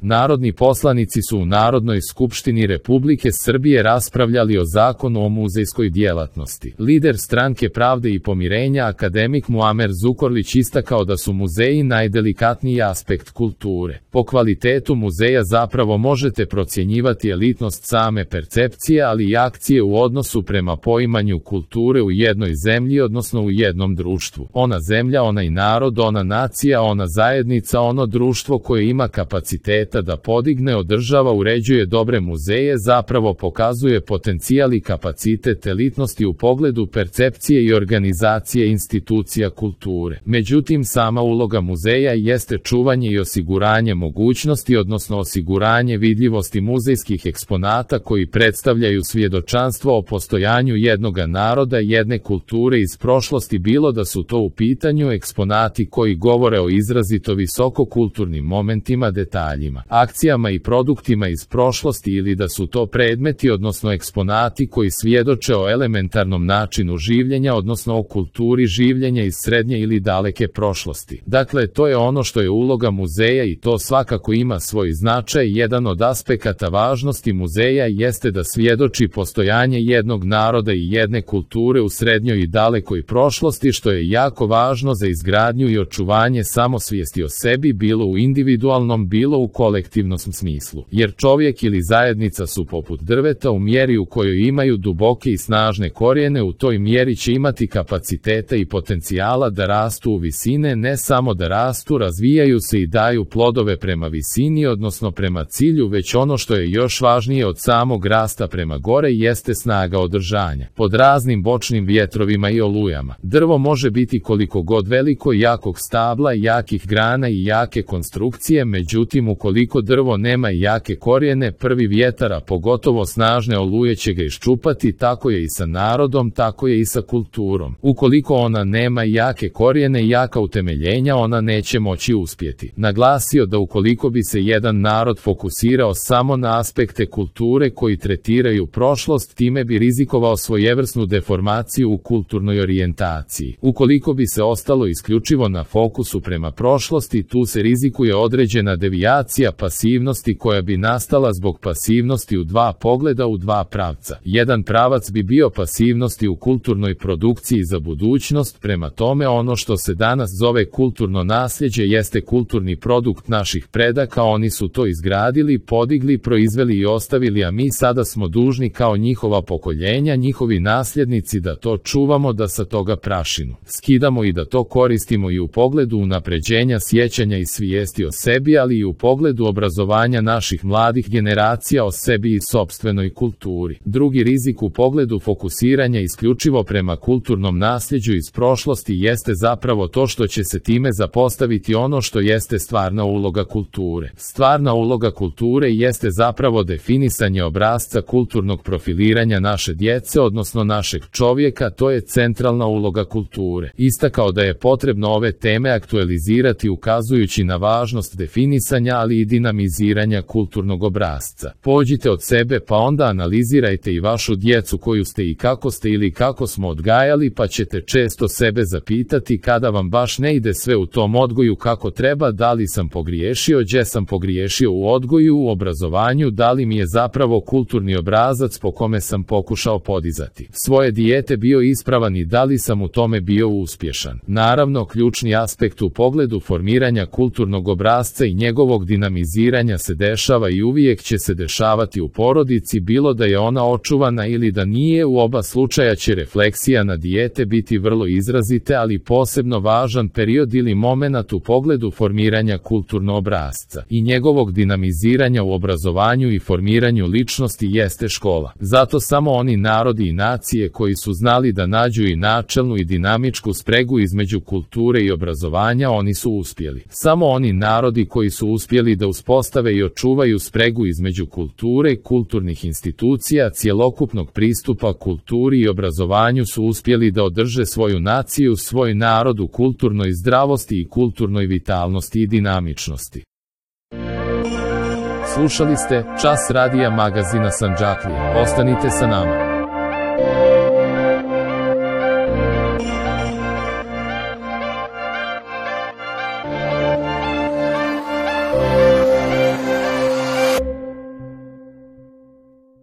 Narodni poslanici su u Narodnoj skupštini Republike Srbije raspravljali o Zakonu o muzejskoj djelatnosti. Lider Stranke pravde i pomirenja akademik Muamer Zukorlić istakao da su muzeji najdelikatniji aspekt kulture. Po kvalitetu muzeja zapravo možete procjenjivati elitnost same percepcije, ali i akcije u odnosu prema poimanju kulture u jednoj zemlji, odnosno u jednom društvu. Ona zemlja, onaj narod, ona nacija, ona zajednica, ono društvo koje ima kapacitet da podigne, održava, uređuje dobre muzeje, zapravo pokazuje potencijal i kapacitet elitnosti u pogledu percepcije i organizacije institucija kulture. Međutim, sama uloga muzeja jeste čuvanje i osiguranje mogućnosti, odnosno osiguranje vidljivosti muzejskih eksponata koji predstavljaju svjedočanstvo o postojanju jednoga naroda, jedne kulture iz prošlosti, bilo da su to u pitanju eksponati koji govore o izrazito visoko kulturnim momentima, detaljima, akcijama i produktima iz prošlosti, ili da su to predmeti, odnosno eksponati koji svjedoče o elementarnom načinu življenja, odnosno o kulturi življenja iz srednje ili daleke prošlosti. Dakle, to je ono što je uloga muzeja i to svakako ima svoj značaj. Jedan od aspekata važnosti muzeja jeste da svjedoči postojanje jednog naroda i jedne kulture u srednjoj i dalekoj prošlosti, što je jako važno za izgradnju i očuvanje samosvijesti o sebi, bilo u individualnom, bilo u kolektivnom smislu. Jer čovjek ili zajednica su poput drveta, u mjeri u kojoj imaju duboke i snažne korijene, u toj mjeri će imati kapaciteta i potencijala da rastu u visine, ne samo da rastu, razvijaju se i daju plodove prema visini, odnosno prema cilju, već ono što je još važnije od samog rasta prema gore jeste snaga održanja. Pod raznim bočnim vjetrovima i olujama. Drvo može biti koliko god veliko, jakog stabla, jakih grana i jake konstrukcije, međutim ukoliko drvo nema jake korijene, prvi vjetar, a pogotovo snažne oluje će ga iščupati. Tako je i sa narodom, tako je i sa kulturom. Ukoliko ona nema jake korijene i jaka utemeljenja, ona neće moći uspjeti. Naglasio da ukoliko bi se jedan narod fokusirao samo na aspekte kulture koji tretiraju prošlost, time bi rizikovao svojevrsnu deformaciju u kulturnoj orijentaciji. Ukoliko bi se ostalo isključivo na fokusu prema prošlosti, tu se rizikuje određena devijacija, pasivnosti koja bi nastala zbog pasivnosti u dva pogleda, u dva pravca. Jedan pravac bi bio pasivnosti u kulturnoj produkciji za budućnost, prema tome ono što se danas zove kulturno nasljeđe jeste kulturni produkt naših predaka, oni su to izgradili, podigli, proizveli i ostavili, a mi sada smo dužni kao njihova pokoljenja, njihovi nasljednici, da to čuvamo, da sa toga prašinu skidamo i da to koristimo i u pogledu unapređenja sjećanja i svijesti o sebi, ali i u pogledu obrazovanja naših mladih generacija o sebi i sopstvenoj kulturi. Drugi rizik u pogledu fokusiranja isključivo prema kulturnom nasljeđu iz prošlosti jeste zapravo to što će se time zapostaviti ono što jeste stvarna uloga kulture. Stvarna uloga kulture jeste zapravo definisanje obrasca kulturnog profiliranja naše djece, odnosno našeg čovjeka, to je centralna uloga kulture. Istakao da je potrebno ove teme aktualizirati ukazujući na važnost definisanja, ali i dinamiziranja kulturnog obrasca. Pođite od sebe pa onda analizirajte i vašu djecu koju ste i kako ste ili kako smo odgajali, pa ćete često sebe zapitati kada vam baš ne ide sve u tom odgoju kako treba, da li sam pogriješio, gdje sam pogriješio u odgoju, u obrazovanju, da li mi je zapravo kulturni obrazac po kome sam pokušao podizati svoje dijete bio ispravan i da li sam u tome bio uspješan. Naravno, ključni aspekt u pogledu formiranja kulturnog obrasca i njegovog dinamiziranja se dešava i uvijek će se dešavati u porodici, bilo da je ona očuvana ili da nije. U oba slučaja će refleksija na dijete biti vrlo izrazite, ali posebno važan period ili momenat u pogledu formiranja kulturnog obrasca i njegovog dinamiziranja u obrazovanju i formiranju ličnosti jeste škola. Zato samo oni narodi i nacije koji su znali da nađu i načelnu i dinamičku spregu između kulture i obrazovanja, oni su uspjeli. Samo oni narodi koji su uspjeli da uspostave i očuvaju spregu između kulture, kulturnih institucija, cjelokupnog pristupa kulturi i obrazovanju su uspjeli da održe svoju naciju, svoj narod u kulturnoj zdravosti i kulturnoj vitalnosti i dinamičnosti. Slušali ste Čas radija magazina Sandžaklija. Ostanite sa nama.